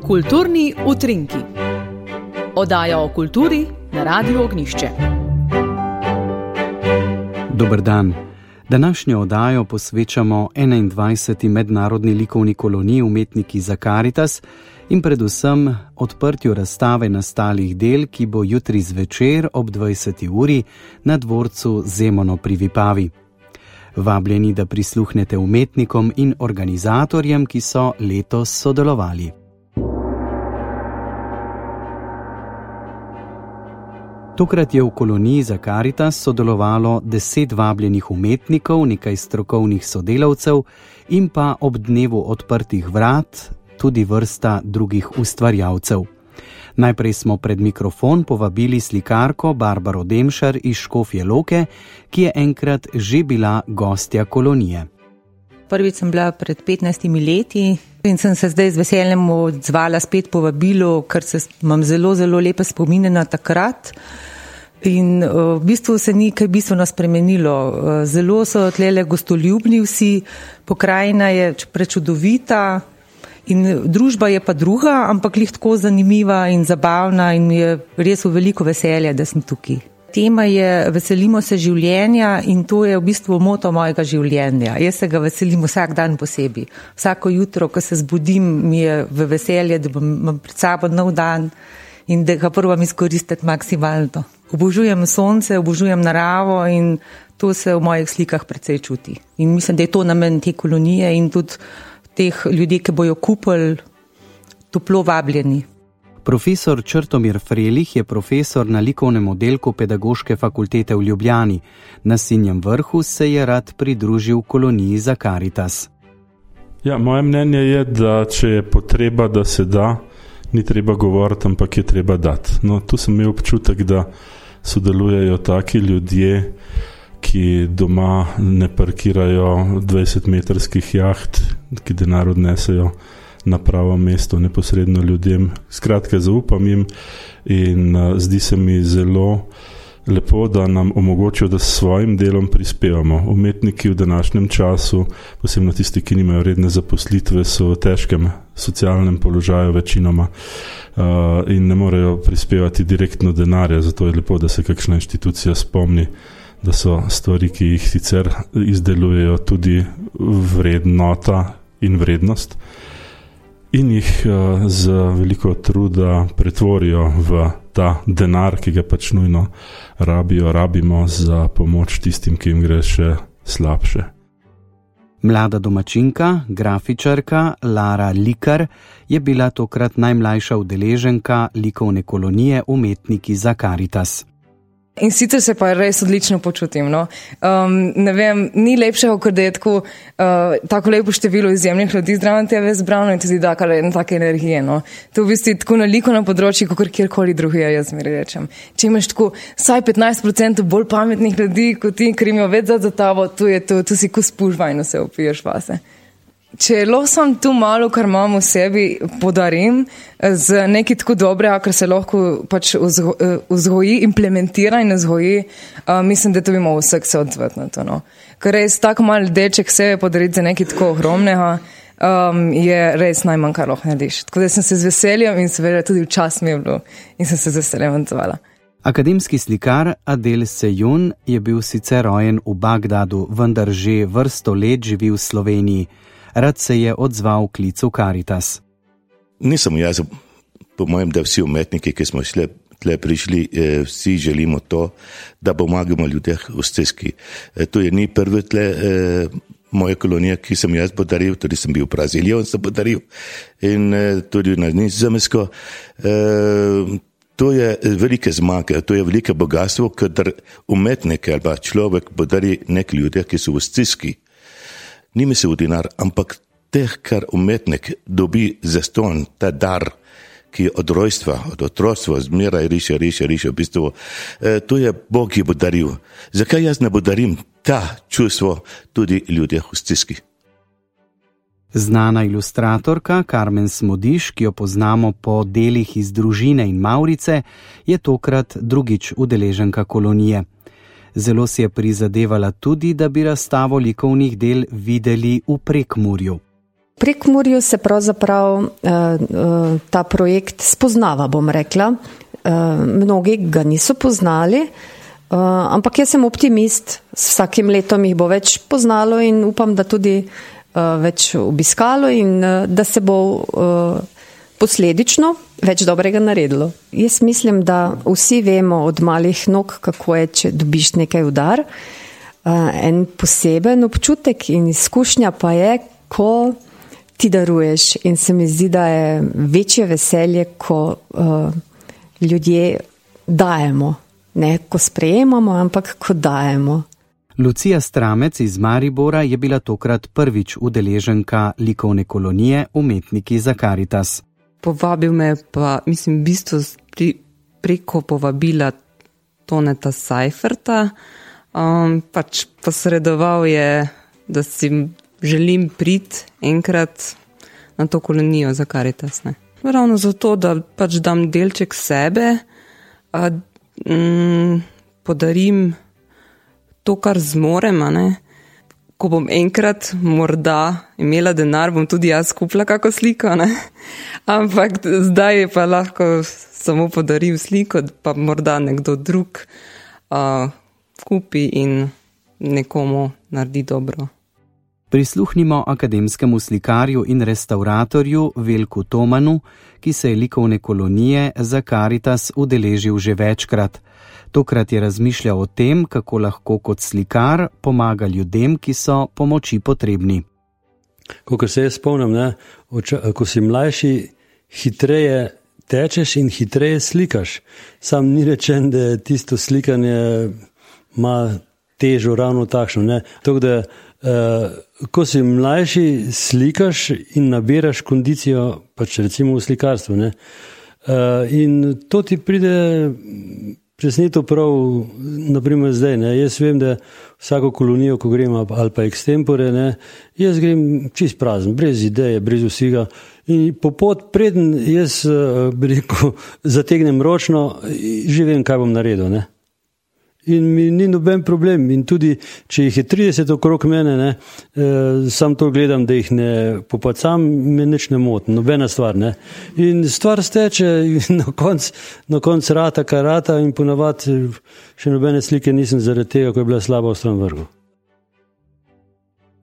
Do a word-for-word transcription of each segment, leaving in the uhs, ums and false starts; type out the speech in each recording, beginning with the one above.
Kulturni utrinki. Oddaja o kulturi na Radiu Ognjišče. Dober dan. Današnjo oddajo posvečamo enaindvajseti mednarodni likovni koloniji Umetniki za Karitas in predvsem odprtju razstave nastalih del, ki bo jutri zvečer ob dvajseti uri na dvorcu Zemono pri Vipavi. Vabljeni, da prisluhnete umetnikom in organizatorjem, ki so letos sodelovali. Tokrat je v koloniji za Karitas sodelovalo deset vabljenih umetnikov, nekaj strokovnih sodelavcev in pa ob dnevu odprtih vrat tudi vrsta drugih ustvarjalcev. Najprej smo pred mikrofon povabili slikarko Barbaro Demšar iz Škofje Loke, ki je enkrat že bila gostja kolonije. Prvič sem bila pred petnajstimi leti in sem se zdaj z veseljem odzvala spet povabilo, ker se imam zelo, zelo lepe spomine na takrat. In v bistvu se ni kaj bistveno spremenilo. Zelo so tlele gostoljubni vsi, pokrajina je prečudovita in družba je pa druga, ampak lih tako zanimiva in zabavna in je res v veliko veselja, da sem tukaj. Tema je Veselimo se življenja in to je v bistvu moto mojega življenja. Jaz se ga veselim vsak dan posebej. Vsako jutro, ko se zbudim, mi je v veselje, da bom pred sabo nov dan in da ga probam izkoristiti maksimalno. Obožujem sonce, obožujem naravo in to se v mojih slikah precej čuti. In mislim, da je to namen te kolonije in tudi teh ljudi, ki bojo kupili, toplo vabljeni. Profesor Črtomir Frelih je profesor na likovnem oddelku Pedagoške fakultete v Ljubljani. Na Sinjem vrhu se je rad pridružil koloniji za Karitas. Ja, moje mnenje je, da če je potreba, da se da, ni treba govoriti, ampak je treba dati. No, tu sem imel občutek, da sodelujejo taki ljudje, ki doma ne parkirajo dvajsetmetrskih jaht, ki denar odnesejo na pravo mesto, neposredno ljudem. Skratka, zaupam jim in uh, zdi se mi zelo lepo, da nam omogočijo, da s svojim delom prispevamo. Umetniki v današnjem času, posebno tisti, ki nimajo redne zaposlitve, so v težkem socialnem položaju večinoma uh, in ne morejo prispevati direktno denarja, zato je lepo, da se kakšna inštitucija spomni, da so stvari, ki jih sicer izdelujejo, tudi vrednota in vrednost in jih uh, z veliko truda pretvorijo v ta denar, ki ga pač nujno rabijo, rabimo za pomoč tistim, ki jim gre še slabše. Mlada domačinka, grafičarka Lara Likar je bila tokrat najmlajša udeleženka likovne kolonije Umetniki za Karitas. In sicer se pa res odlično počutim. No? Um, ne vem, ni lepšega, kot da je tako, uh, tako lepo število izjemnih ljudi zdraven tebe zbrano in tudi da kar ena take energije. No? To v bistvu tako na likovnem področju, kot kjerkoli drugega, jaz mi rečem. Če imaš tako vsaj petnajst procentov bolj pametnih ljudi, kot ti, ker imajo več za tabo, tu je to, tu si ko spuš vajno se opiješ vase. Če losom tu malo, kar imam v sebi, podarim z nekaj tako dobrega, kar se lahko pač vzgoji, implementira in vzgoji, uh, mislim, da to bi malo vsek se odzvati na to. No. Ker res tako malo deček sebe podariti za nekaj tako ohromnega, um, je res najmanj, kar lahko narediš. Tako da sem se z veseljem in seveda tudi v čas mi je bilo in sem se z veseljem odzvala. Akademski slikar Adel Sejun je bil sicer rojen v Bagdadu, vendar že vrsto let živi v Sloveniji. Rad se je odzval klicu Karitas. Nisem jaz, po mojem, da vsi umetniki, ki smo šle, tle prišli, eh, vsi želimo to, da pomagamo ljudeh v stiski. Eh, to je ni prvi tle eh, moje kolonije, ki sem jaz podaril, tudi sem bil v Braziliji in sem podaril in eh, tudi na Nizozemsko. Eh, to je velike zmage, to je velike bogatstvo, kadar umetnik ali pa človek podari nek ljudje, ki so v stiski. Ni misel dinar, ampak teh, kar umetnik dobi zastonj, ta dar, ki je od rojstva, od otroštva, zmeraj riše, riše, riše, v bistvu, e, to je Bog ji bo daril. Zakaj jaz ne podarim ta čustvo tudi ljudeh v stiski? Znana ilustratorka Karmen Smodiš, ki jo poznamo po delih iz Družine in Mavrice, je tokrat drugič udeleženka kolonije. Zelo si je prizadevala tudi, da bi razstavo likovnih del videli v Prekmurju. Prekmurju se pravzaprav uh, uh, ta projekt spoznava, bom rekla. Uh, mnogi ga niso poznali, uh, ampak jaz sem optimist, s vsakim letom jih bo več poznalo in upam, da tudi uh, več obiskalo in uh, da se bo uh, posledično več dobrega naredilo. Jaz mislim, da vsi vemo od malih nog, kako je, če dobiš nekaj udar. Uh, en poseben občutek in izkušnja pa je, ko ti daruješ in se mi zdi, da je večje veselje, ko uh, ljudje dajemo, ne ko sprejemamo, ampak ko dajemo. Lucija Stramec iz Maribora je bila tokrat prvič udeleženka likovne kolonije Umetniki za Karitas. Povabil me pa, mislim, v bistvu pri, preko povabila Toneta Seiferta, um, pač posredoval je, da si želim priti enkrat na to kolonijo za Karitas. Ne. Ravno zato, da pač dam delček sebe, a, mm, podarim to, kar zmorem. Ne. Ko bom enkrat morda imela denar, bom tudi jaz kupila kako sliko. Ne. Ampak zdaj je pa lahko samo podarim sliko, pa morda nekdo drug a, kupi in nekomu naredi dobro. Prisluhnimo akademskemu slikarju in restauratorju Veljku Tomanu, ki se je likovne kolonije za Karitas udeležil že večkrat. Tokrat je razmišljal o tem, kako lahko kot slikar pomaga ljudem, ki so pomoči potrebni. Kakor se jaz spomnim, ne, ko si mlajši, hitreje tečeš in hitreje slikaš. Sam ni rečen, da tisto slikanje ima težo ravno takšno. Ne. Tako da Uh, ko si mlajši, slikaš in nabiraš kondicijo, pač recimo v slikarstvu. Ne? Uh, in to ti pride presneto prav, naprimer zdaj. Ne? Jaz vem, da vsako kolonijo, ko grem ali pa extempore, ne? Jaz grem čist prazen, brez ideje, brez vsega. In po pot preden jaz uh, bi rekel, zategnem ročno, že vem, kaj bom naredil. Ne? In mi ni noben problem. In tudi, če jih je trideset okrog mene, ne, eh, sam to gledam, da jih ne popacam, me nič ne moti, nobena stvar. Ne. In stvar steče in na konc, na konc rata, kar rata in ponavadi še nobene slike nisem zaradi tega, ko je bila slaba v stran vrhu.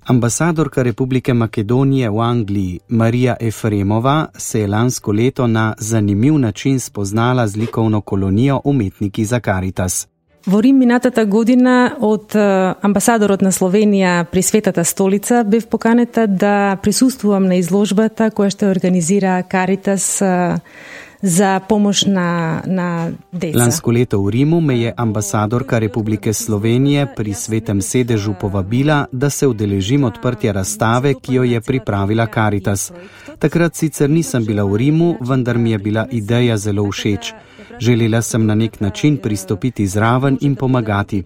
Ambasadorka Republike Makedonije v Angliji Marija Efremova se je lansko leto na zanimiv način spoznala z likovno kolonijo Umetniki za Karitas. Во Рим минатата година од амбасадорот на Словенија при Светата столица бев поканета да присуствувам на изложбата која што организира Каритас за помош на, на деца. Lansko leto v Rimu me je ambasadorka Republike Slovenije pri Svetem sedežu povabila, da se udeležim odprtja razstave, ki jo je pripravila Karitas. Takrat sicer nisem bila v Rimu, vendar mi je bila ideja zelo všeč. Želela sem na nek način pristopiti zraven in pomagati.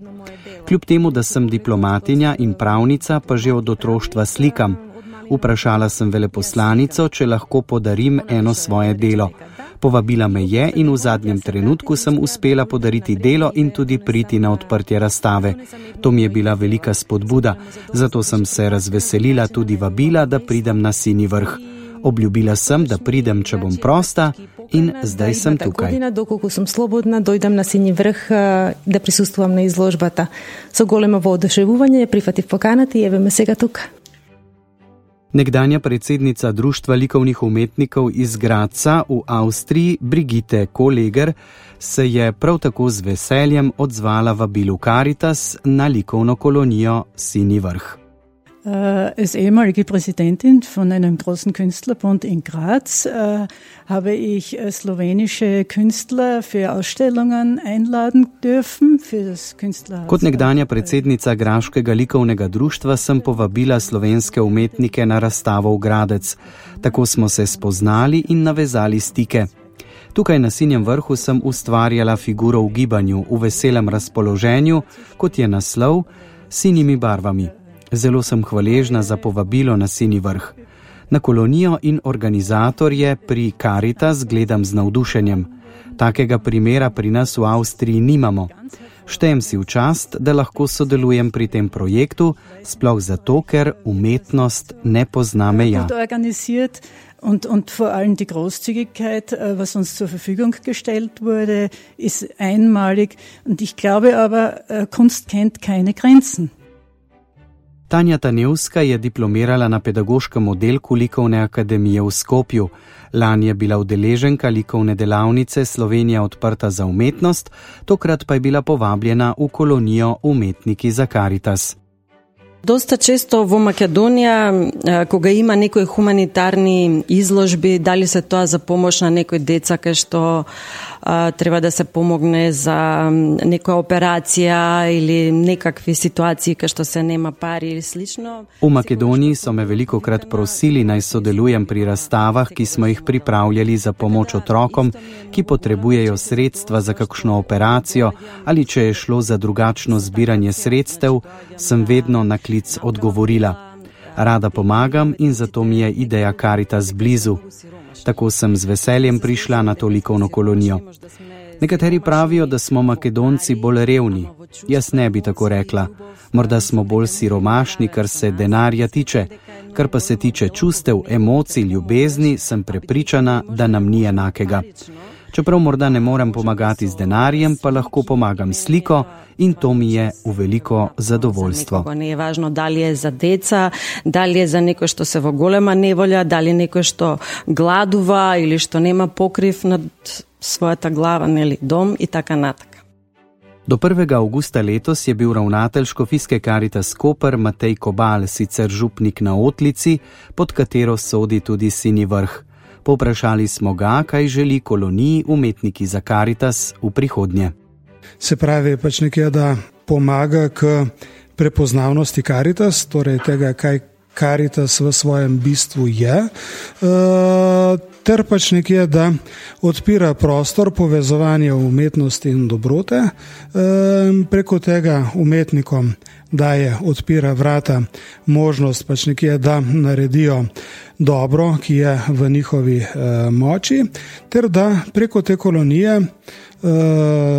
Kljub temu, da sem diplomatinja in pravnica, pa že od otroštva slikam. Vprašala sem veleposlanico, če lahko podarim eno svoje delo. Povabila me je in v zadnjem trenutku sem uspela podariti delo in tudi priti na odprtje razstave. To mi je bila velika spodbuda, zato sem se razveselila tudi vabila, da pridem na Sinji vrh. Obljubila sem, da pridem, če bom prosta, in zdaj sem tukaj. Доколку сум слободна, дојдам на Синји врх да присуствувам на изложбата. Со големо воодушевување прифатив поканата и еве ме сега тука. Nekdanja predsednica Društva likovnih umetnikov iz Gradca v Avstriji, Brigitte Kolleger, se je prav tako z veseljem odzvala vabilu Karitas na likovno kolonijo Sinji vrh. Als ehemalige Präsidentin von einem großen Künstlerbund in Graz äh, habe ich slowenische Künstler für Ausstellungen einladen dürfen. Für das Künstlerhaus. Kot nekdanja predsednica Graškega likovnega društva sem povabila slovenske umetnike na razstavo v Gradec. Tako smo se spoznali in navezali stike. Tukaj na Sinjem vrhu sem ustvarjala figuro v gibanju, v veselem razpoloženju, kot je naslov, s sinjimi barvami. Zelo sem hvaležna za povabilo na Sinji vrh. Na kolonijo in organizatorje pri Karitas gledam z navdušenjem. Takega primera pri nas v Avstriji nimamo. Štejem si v čast, da lahko sodelujem pri tem projektu, sploh zato, ker umetnost ne pozna meja. Und, und vor allem die Großzügigkeit, was uns zur Verfügung gestellt wurde, ist einmalig. Und ich glaube aber, Kunst kennt keine Grenzen. Tanja Tanevska je diplomirala na pedagoškem oddelku Likovne akademije v Skopju. Lani je bila udeleženka likovne delavnice Slovenija odprta za umetnost, tokrat pa je bila povabljena v kolonijo Umetniki za Karitas. Dosta često v Makedonija, ko ga ima nekoj humanitarni izložbi, dali se to za pomoć na nekoj deca, kaj što a, treba da se pomogne za neka operacija ili nekakvi situaciji, kaj što se nema pari ili slično. V Makedoniji so me velikokrat prosili, naj sodelujem pri razstavah, ki smo jih pripravljali za pomoč otrokom, ki potrebujejo sredstva za kakšno operacijo ali če je šlo za drugačno zbiranje sredstev, sem vedno na klic odgovorila. Rada pomagam in zato mi je ideja Karitas blizu. Tako sem z veseljem prišla na to likovno kolonijo. Nekateri pravijo, da smo Makedonci bolj revni. Jaz ne bi tako rekla. Morda smo bolj siromašni, kar se denarja tiče. Kar pa se tiče čustev, emocij, ljubezni, sem prepričana, da nam ni enakega. Čeprav morda ne morem pomagati z denarjem, pa lahko pomagam sliko in to mi je v veliko zadovoljstvo. Ne je važno, da li je za deca, da li je za neko što se v golema ne volja, da li je neko što gladuva ili što nema pokriv nad svoja ta glava, ali dom i taka nataka. Do prvega avgusta letos je bil ravnatelj Škofijske Karitas Koper Matej Kobal, sicer župnik na Otlici, pod katero sodi tudi Sinji Vrh. Povprašali smo ga, kaj želi koloniji Umetniki za Karitas v prihodnje. Se pravi, pač nekje, da pomaga k prepoznavnosti Karitas, torej tega, kaj Karitas v svojem bistvu je, ter pač nekje, da odpira prostor povezovanja umetnosti in dobrote, preko tega umetnikom daje, odpira vrata, možnost pač nekje, da naredijo dobro, ki je v njihovi moči, ter da preko te kolonije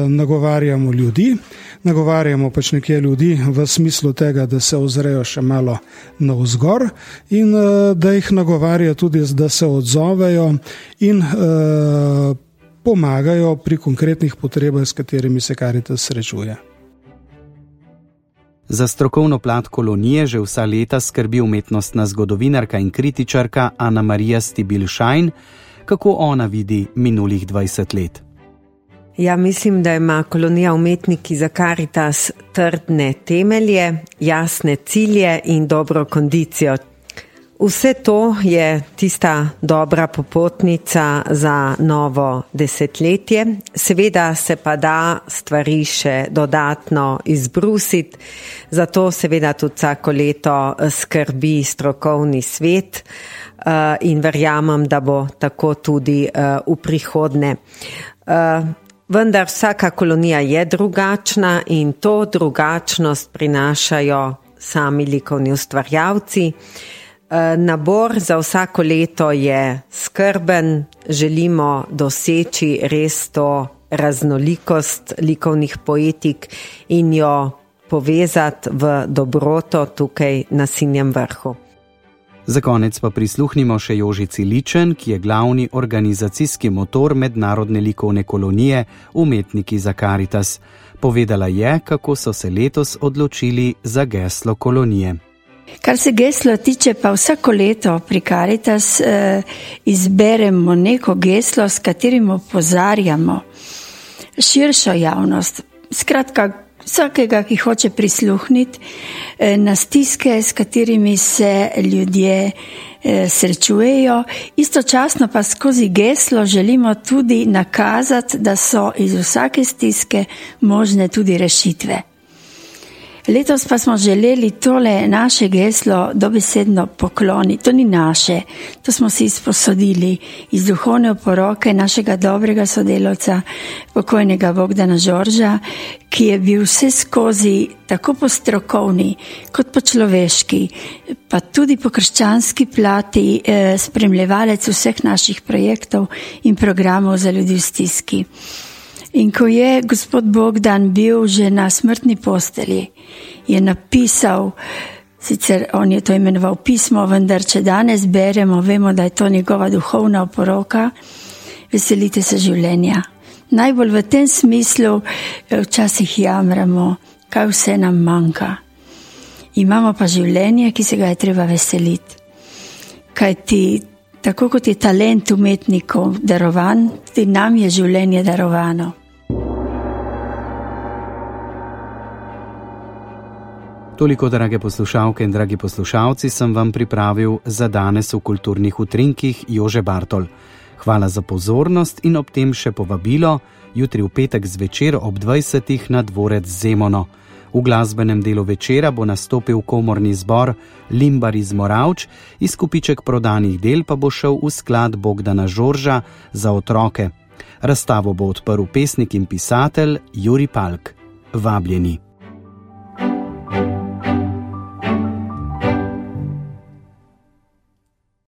nagovarjamo ljudi, nagovarjamo pač nekje ljudi v smislu tega, da se ozrejo še malo navzgor in da jih nagovarja tudi, da se odzovejo in pomagajo pri konkretnih potrebah, s katerimi se Karitas srečuje. Za strokovno plat kolonije že vsa leta skrbi umetnostna zgodovinarka in kritičarka Ana Marija Stibil-Šajn, kako ona vidi minulih dvajset let. Ja, mislim, da ima kolonija Umetniki za Karitas trdne temelje, jasne cilje in dobro kondicijo. Vse to je tista dobra popotnica za novo desetletje. Seveda se pa da stvari še dodatno izbrusiti, zato seveda tudi vsako leto skrbi strokovni svet in verjamem, da bo tako tudi v prihodnje. Vendar vsaka kolonija je drugačna in to drugačnost prinašajo sami likovni ustvarjalci. Nabor za vsako leto je skrben, želimo doseči res to raznolikost likovnih poetik in jo povezati v dobroto tukaj na Sinjem Vrhu. Za konec pa prisluhnimo še Jožici Ličen, ki je glavni organizacijski motor mednarodne likovne kolonije Umetniki za Karitas. Povedala je, kako so se letos odločili za geslo kolonije. Kar se geslo tiče, pa vsako leto pri Karitas eh, izberemo neko geslo, s katerim opozarjamo širšo javnost. Skratka, vsakega, ki hoče prisluhniti eh, na stiske, s katerimi se ljudje eh, srečujejo. Istočasno pa skozi geslo želimo tudi nakazati, da so iz vsake stiske možne tudi rešitve. Letos pa smo želeli tole naše geslo dobesedno pokloniti. To ni naše, to smo si izposodili iz duhovne oporoke našega dobrega sodelavca, pokojnega Bogdana Žorža, ki je bil vse skozi tako po strokovni kot po človeški, pa tudi po krščanski plati eh, spremljevalec vseh naših projektov in programov za ljudi v stiski. In ko je gospod Bogdan bil že na smrtni postelji, je napisal, sicer on je to imenoval pismo, vendar če danes beremo, vemo, da je to njegova duhovna oporoka, veselite se življenja. Najbolj v tem smislu včasih jamramo, kaj vse nam manjka. Imamo pa življenje, ki se ga je treba veseliti. Kaj ti, tako kot je talent umetnikov darovan, tudi nam je življenje darovano. Toliko, drage poslušalke in dragi poslušalci, sem vam pripravil za danes v kulturnih utrinkih Jože Bartol. Hvala za pozornost in ob tem še povabilo jutri v petek zvečer ob dvajsetih na dvorec Zemono. V glasbenem delu večera bo nastopil komorni zbor Limbar iz Moravč, izkupiček prodanih del pa bo šel v sklad Bogdana Žorža za otroke. Razstavo bo odprl pesnik in pisatelj Jurij Palk. Vabljeni.